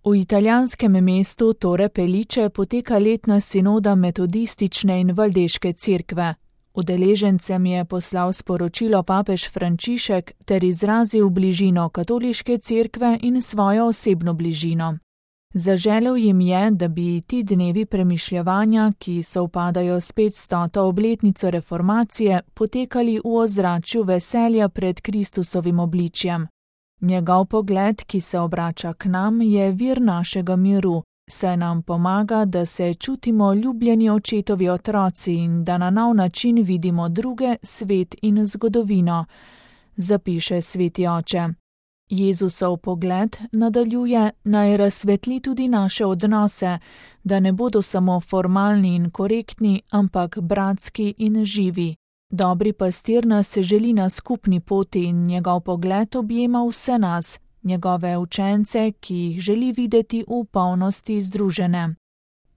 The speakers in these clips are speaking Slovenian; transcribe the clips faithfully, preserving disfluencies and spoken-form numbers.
V italijanskem mestu Torre Pellice poteka letna sinoda metodistične in valdeške cerkve. Udeležencem je poslal sporočilo papež Frančišek ter izrazil bližino katoliške cerkve in svojo osebno bližino. Zaželel jim je, da bi ti dnevi premišljevanja, ki sovpadajo s petstoto obletnico reformacije, potekali v ozračju veselja pred Kristusovim obličjem. Njegov pogled, ki se obrača k nam, je vir našega miru, saj nam pomaga, da se čutimo ljubljeni očetovi otroci in da na nov način vidimo druge, svet in zgodovino, zapiše sveti oče. Jezusov pogled, nadaljuje, naj razsvetli tudi naše odnose, da ne bodo samo formalni in korektni, ampak bratski in živi. Dobri pastir nas želi na skupni poti in njegov pogled objema vse nas, njegove učence, ki jih želi videti v polnosti združene.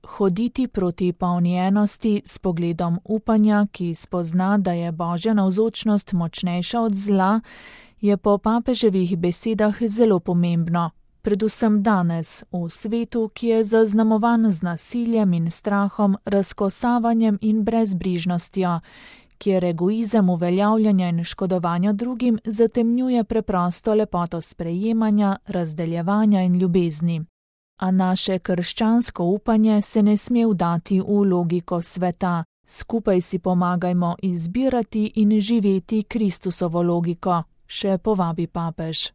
Hoditi proti polni enosti s pogledom upanja, ki spozna, da je Božja navzočnost močnejša od zla, je po papeževih besedah zelo pomembno, predvsem danes, v svetu, ki je zaznamovan z nasiljem in strahom, razkosavanjem in brezbrižnostjo, kjer egoizem uveljavljanja in škodovanja drugim zatemnjuje preprosto lepoto sprejemanja, razdeljevanja in ljubezni. A naše krščansko upanje se ne sme vdati v logiko sveta, skupaj si pomagajmo izbirati in živeti Kristusovo logiko, še povabi papež.